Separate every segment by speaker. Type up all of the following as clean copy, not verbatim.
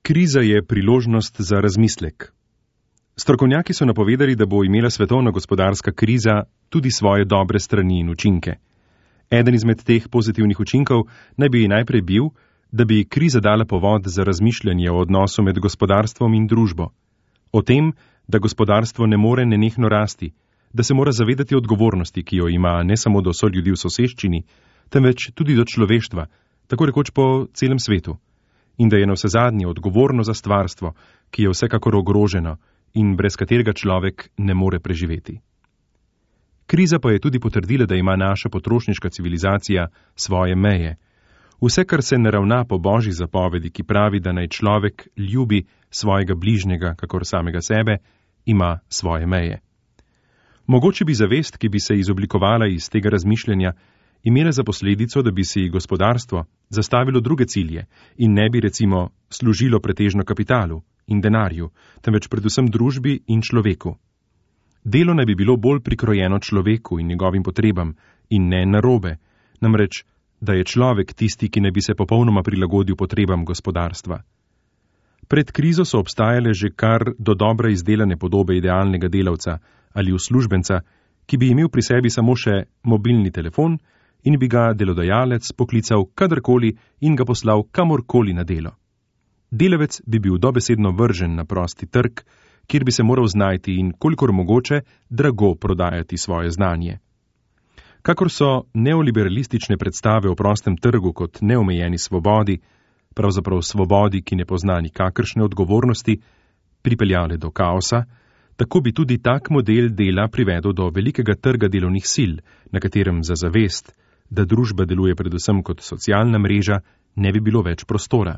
Speaker 1: Kriza je priložnost za razmislek. Strokovnjaki so napovedali, da bo imela svetovna gospodarska kriza tudi svoje dobre strani in učinke. Eden izmed teh pozitivnih učinkov naj bi najprej bil, da bi kriza dala povod za razmišljanje o odnosu med gospodarstvom in družbo. O tem, da gospodarstvo ne more nenehno rasti, da se mora zavedati odgovornosti, ki jo ima ne samo do soljudi v soseščini, temveč tudi do človeštva, tako rekoč po celem svetu. In da je navsezadnje odgovorno za stvarstvo, ki je vsekakor ogroženo in brez katerega človek ne more preživeti. Kriza pa je tudi potrdila, da ima naša potrošniška civilizacija svoje meje. Vse, kar se ne ravna po božji zapovedi, ki pravi, da naj človek ljubi svojega bližnjega, kakor samega sebe, ima svoje meje. Mogoče bi zavest, ki bi se izoblikovala iz tega razmišljanja, imela za posledico, da bi si gospodarstvo zastavilo druge cilje in ne bi recimo služilo pretežno kapitalu in denarju, temveč predvsem družbi in človeku. Delo naj bi bilo bolj prikrojeno človeku in njegovim potrebam in ne narobe, namreč, da je človek tisti, ki ne bi se popolnoma prilagodil potrebam gospodarstva. Pred krizo so obstajale že kar do dobra izdelane podobe idealnega delavca ali uslužbenca, ki bi imel pri sebi samo še mobilni telefon in bi ga delodajalec poklical kadarkoli in ga poslal kamorkoli na delo. Delavec bi bil dobesedno vržen na prosti trg, kjer bi se moral znajti in kolikor mogoče drago prodajati svoje znanje. Kakor so neoliberalistične predstave o prostem trgu kot neomejeni svobodi, pravzaprav svobodi, ki ne pozna nikakršne odgovornosti, pripeljale do kaosa, tako bi tudi tak model dela privedel do velikega trga delovnih sil, na katerem za zavest, da družba deluje predvsem kot socialna mreža, ne bi bilo več prostora.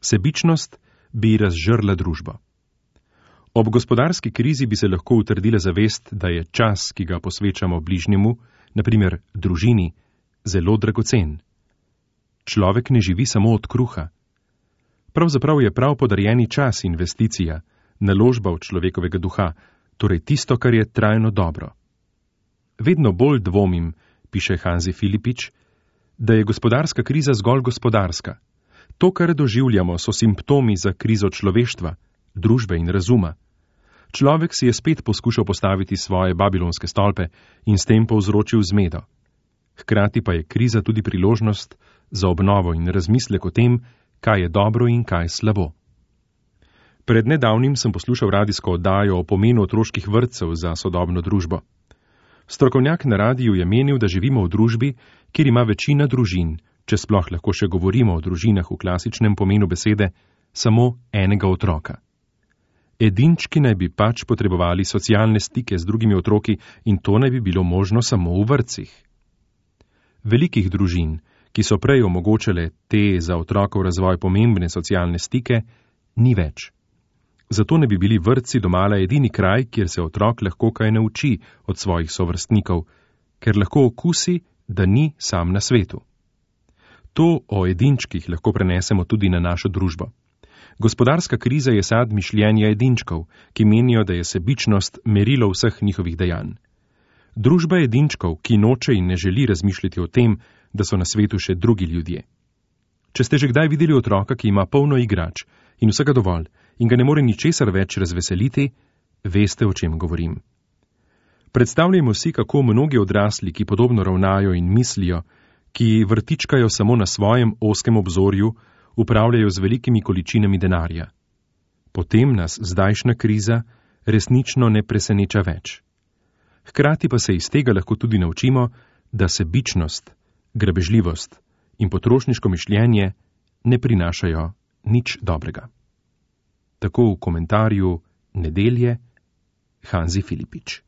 Speaker 1: Sebičnost bi razžrla družbo. Ob gospodarski krizi bi se lahko utrdila zavest, da je čas, ki ga posvečamo bližnjemu, naprimer družini, zelo dragocen. Človek ne živi samo od kruha. Pravzaprav je prav podarjeni čas investicija, naložba v človekovega duha, torej tisto, kar je trajno dobro. Vedno bolj dvomim, piše Hanzi Filipič, da je gospodarska kriza zgolj gospodarska. To, kar doživljamo, so simptomi za krizo človeštva, družbe in razuma. Človek si je spet poskušal postaviti svoje babilonske stolpe in s tem povzročil zmedo. Hkrati pa je kriza tudi priložnost za obnovo in razmislek o tem, kaj je dobro in kaj slabo. Pred nedavnim sem poslušal radijsko oddajo o pomenu otroških vrtcev za sodobno družbo. Strokovnjak na radiju je menil, da živimo v družbi, kjer ima večina družin, če sploh lahko še govorimo o družinah v klasičnem pomenu besede, samo enega otroka. Edinčki naj bi pač potrebovali socialne stike z drugimi otroki in to naj bi bilo možno samo v vrtcih. Velikih družin, ki so prej omogočale te za otrokov razvoj pomembne socialne stike, ni več. Zato ne bi bili vrtci domala edini kraj, kjer se otrok lahko kaj nauči od svojih sovrstnikov, ker lahko okusi, da ni sam na svetu. To o edinčkih lahko prenesemo tudi na našo družbo. Gospodarska kriza je sad mišljenja edinčkov, ki menijo, da je sebičnost merilo vseh njihovih dejanj. Družba edinčkov, ki noče in ne želi razmišljati o tem, da so na svetu še drugi ljudje. Če ste že kdaj videli otroka, ki ima polno igrač in vsega dovolj in ga ne more ničesar več razveseliti, veste, o čem govorim. Predstavljajmo si, kako mnogi odrasli, ki podobno ravnajo in mislijo, ki vrtičkajo samo na svojem ozkem obzorju, upravljajo z velikimi količinami denarja. Potem nas zdajšnja kriza resnično ne preseneča več. Hkrati pa se iz tega lahko tudi naučimo, da sebičnost, grabežljivost in potrošniško mišljenje ne prinašajo nič dobrega. Tako v komentarju Nedelje Hanzi Filipič.